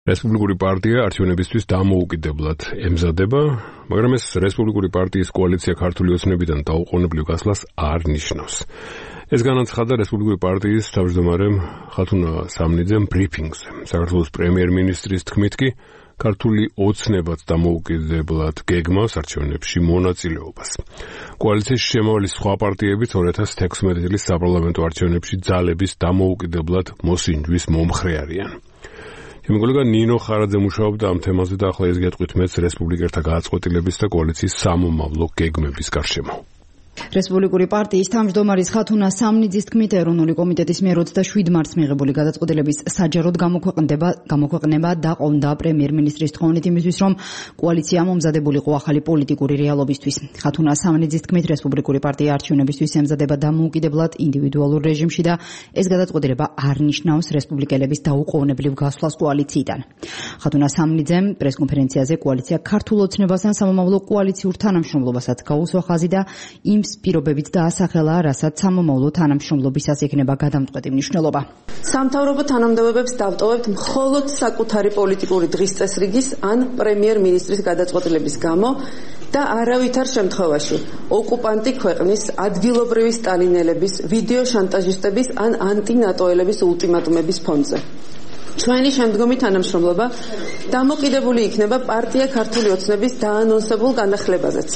რესპუბლიკური პარტია არჩევნებისთვის დამოუკიდებლად ემზადება, მაგრამ ეს რესპუბლიკური პარტიის კოალიცია ქართული ოცნებიდან დაუყოვნებლივ გასვლას არ ნიშნავს. ეს განაცხადა რესპუბლიკური პარტიის თავმჯდომარემ ხათუნა სამნიძემ ბრიფინგზე. საქართველოს პრემიერ-მინისტრის თქმით კი ქართული ოცნებაც დამოუკიდებლად გეგმავს არჩევნებში მონაწილეობას. კოალიციის შემავლის სხვა პარტიებიც 2016 წლის საპარლამენტო არჩევნებში ძალების დამოუკიდებლად მოსინჯვის მომხრე არიან. ჩემი კოლეგა ნინო ხარაძე მუშაობდა ამ თემაზე და ახლა ეს გეტყვით მეც რესპუბლიკელთა გააწყვეტილების და კოალიციის სამომავლო გეგმების გარშემო. რესპუბლიკური პარტიის თავმჯდომარის ხათუნა სამნიძის თქმით ეროვნული კომიტეტის მიერ 27 მარტს მიღებული გადაწყვეტილების საჯაროდ გამოქვეყნება დაყონდა პრემიერ-მინისტრის თხოვნით იმისთვის, რომ კოალიცია მომზადებულიყო ახალი პოლიტიკური რეალობისთვის. ხათუნა სამნიძის თქმით რესპუბლიკური პარტია არჩევნებისთვის ემზადება დამოუკიდებლად ინდივიდუალურ რეჟიმში და ეს გადაწყვეტილება არ ნიშნავს რესპუბლიკელების დაუყოვნებლივ გასვლას კოალიციიდან. ხათუნა სამნიძემ პრესკონფერენციაზე კოალიცია ქართულ ოცნებასთან სამომავლო კოალიციურ თანამშრომლობასაც გაუსვა ხაზი და იმ პირობებით დაასახელა, რასაც სამომავლო თანამშრომლობისას ექნება გადამწყვეტი მნიშვნელობა. სამთავრობო თანამდებობებს დავტოვებთ მხოლოდ საკუთარი პოლიტიკური დღის წესრიგის ან პრემიერ-მინისტრის გადაწყვეტილების გამო და არავითარ შემთხვევაში ოკუპანტი ქვეყნის ადგილობრივი სტალინელების, ვიდეო შანტაჟისტების ან ანტინატოელების ულტიმატუმების ფონზე. ჩვენი შემდგომი თანამშრომლობა დამოკიდებული იქნება პარტია ქართული ოცნების დაანონსებულ განახლებაზეც,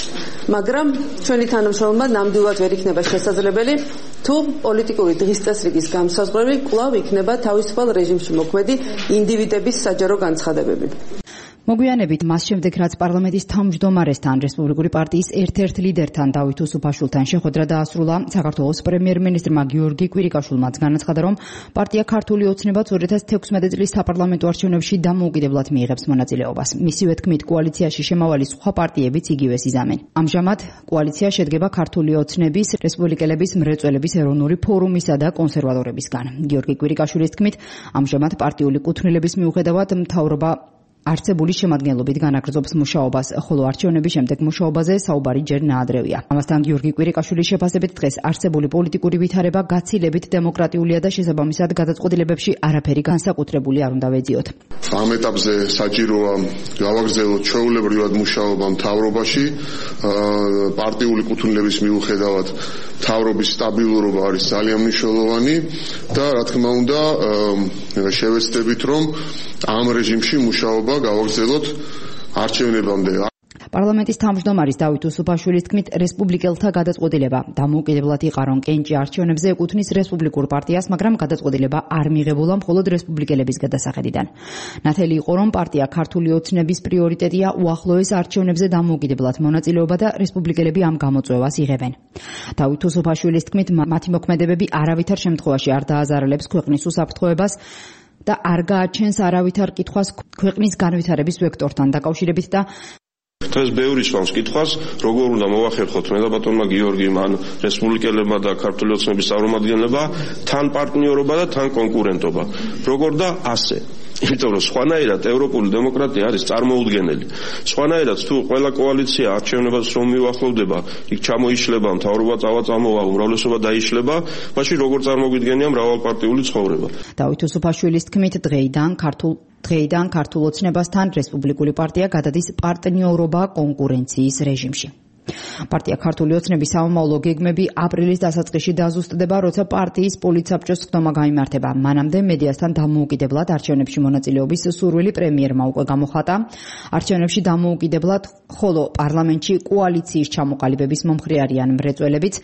მაგრამ ჩვენი თანამშრომლობა ნამდვილად ვერ იქნება შესაძლებელი, თუ პოლიტიკური დღის წესრიგის განსაზღვრები კვლავ იქნება თავისუფალ რეჟიმში მოქმედი ინდივიდების საჯარო განცხადებები. მოგვიანებით მას შემდეგ, რაც პარლამენტის თავმჯდომარესთან, რესპუბლიკური პარტიის ერთ-ერთ ლიდერთან დავით უსუფაშვილთან შეხვედრა დაასრულა, საქართველოს პრემიერ-მინისტრმა გიორგი კვირიკაშვილმაც განაცხადა, რომ პარტია ქართული ოცნებაც 2016 წლის საპარლამენტო არჩევნებში დამოუკიდებლად მიიღებს მონაწილეობას. მისივე თქმით, კოალიციაში შემავალი სხვა პარტიებიც იგივეს იზამენ. ამჟამად კოალიცია შედგება ქართული ოცნების, რესპუბლიკელების მრეწველების ეროვნული ფორუმისა და კონსერვატორებისგან. გიორგი კვირიკაშვილის თქმით, ამჟამად პარტიული კუთვნილების მიუხედავად მთავრობა არცებული შემადგენლობით განაგრძობს მუშაობას, ხოლო არჩევნების შემდეგ მუშაობაზე საუბარი ჯერ ნაადრევია. ამასთან გიორგი კვირიკაშვილის შეფასებით დღეს არსებული პოლიტიკური ვითარება გაცილებით დემოკრატიულია და შესაბამისად გადაწყვეტილებებში არაფერი განსაკუთრებული არ უნდა ვეძიოთ. ამ ეტაპზე საჭიროა გავაგრძელოთ ჩვეულებრივად მუშაობა მთავრობაში, პარტიული კუთვნილების მიუხედავად მთავრობის სტაბილურობა არის ძალიან მნიშვნელოვანი და რა თქმა უნდა შევეცდებით, რომ ამ რეჟიმში მუშაობა გავაგრძელოთ არჩევნებამდე. პარლამენტის თავმჯდომარის დავით უსუფაშვილის თქმით, რესპუბლიკელთა გადაწყვეტილება დამოუკიდებლად იყარონ კენჭი არჩევნებზე ეკუთვნის რესპუბლიკურ პარტიას, მაგრამ გადაწყვეტილება არ მიღებულა მხოლოდ რესპუბლიკელების გადასახედიდან. ნათელი იყო, რომ პარტია ქართული ოცნების პრიორიტეტია უახლოეს არჩევნებზე დამოუკიდებლად მონაწილეობა და რესპუბლიკელები ამ გამოწვევას იღებენ. დავით უსუფაშვილის თქმით, მათი მოქმედებები არავითარ შემთხვევაში არ დააზარალებს ქვეყნის უსაფრთხოებას და არ გააჩენს არავითარ კითხვას ქვეყნის განვითარების ვექტორთან დაკავშირებით და დღეს ბევრი სვამს კითხვას, როგორ უნდა მოვახერხოთ მე და ბატონმა გიორგიმ, ან რესპუბლიკელებმა და ქართული ოცნების წარმომადგენლებმა თან პარტნიორობა და თან კონკურენტობა. როგორ და ასე. იმიტომ რომ სხვანაირად ევროპული დემოკრატია არის წარმოუდგენელი. სხვანაირად თუ ყველა კოალიცია არჩევნებას რომ მიუახლოვდება, იქ ჩამოიშლება, მთავრობა წამოვა, უმრავლესობა დაიშლება, მაშინ როგორ წარმოგვიდგენია მრავალპარტიული ცხოვრება. დავით უსუფაშვილის თქმით, დღეიდან ქართულ ოცნებასთან რესპუბლიკური პარტია გადადის პარტნიორობა კონკურენციის რეჟიმში. პარტია ქართული ოცნების სამომავლო გეგმები აპრილის დასაწყისში დაზუსტდება, როცა პარტიის პოლიტსაბჭოს ხდომა გაიმართება. მანამდე მედიასთან დამოუკიდებლად არჩევნებში მონაწილეობის სურვილი პრემიერმა უკვე გამოხატა. არჩევნებში დამოუკიდებლად, ხოლო პარლამენტში კოალიციის ჩამოყალიბების მომხრე არიან მრეწველებიც,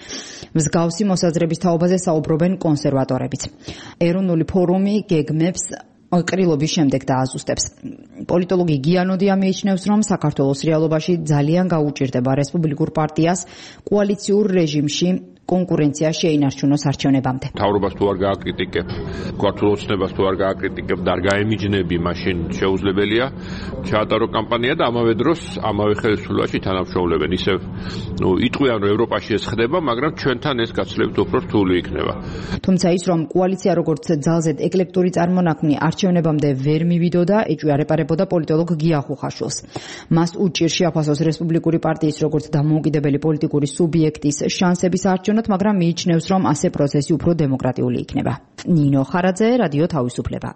მსგავსი მოსაზრების თაობაზე საუბრობენ კონსერვატორებიც. ეროვნული ფორუმი გეგმებს ყრილობის შემდეგ დააზუსტებს. პოლიტოლოგი გიანოდია მიიჩნევს, რომ საქართველოს რეალობაში ძალიან გაუჭირდება რესპუბლიკურ პარტიას კოალიციურ რეჟიმში კონკურენცია შეინარჩუნოს არჩევნებამდე. მთავრობას თუ არ გააკრიტიკებ, ქართულ ოცნებას თუ არ გააკრიტიკებ და არ გაემიჯნები, მაშინ შეუძლებელია ჩაატარო კამპანია და ამავე დროს ამავე ხელისუფლებაში თანამშრომლებენ. ისევ იტყვიან, რომ ევროპაში ეს ხდება, მაგრამ ჩვენთან ეს გაცილებით უფრო რთული იქნება. თუმცა ის, რომ კოალიცია როგორც ძალზედ ეკლექტური წარმონაქმნი არჩევნებამდე ვერ მივიდოდა, ეჭვიარეპარებოდა პოლიტოლოგ გია ხუხაშვილს. მას უჭირს შეაფასოს რესპუბლიკური პარტიის როგორც დამოუკიდებელი პოლიტიკური სუბიექტის შანსების არჩევნებს, მაგრამ მიიჩნევს, რომ ასე პროცესი უფრო დემოკრატიული იქნება. ნინო ხარაძე, რადიო თავისუფლება.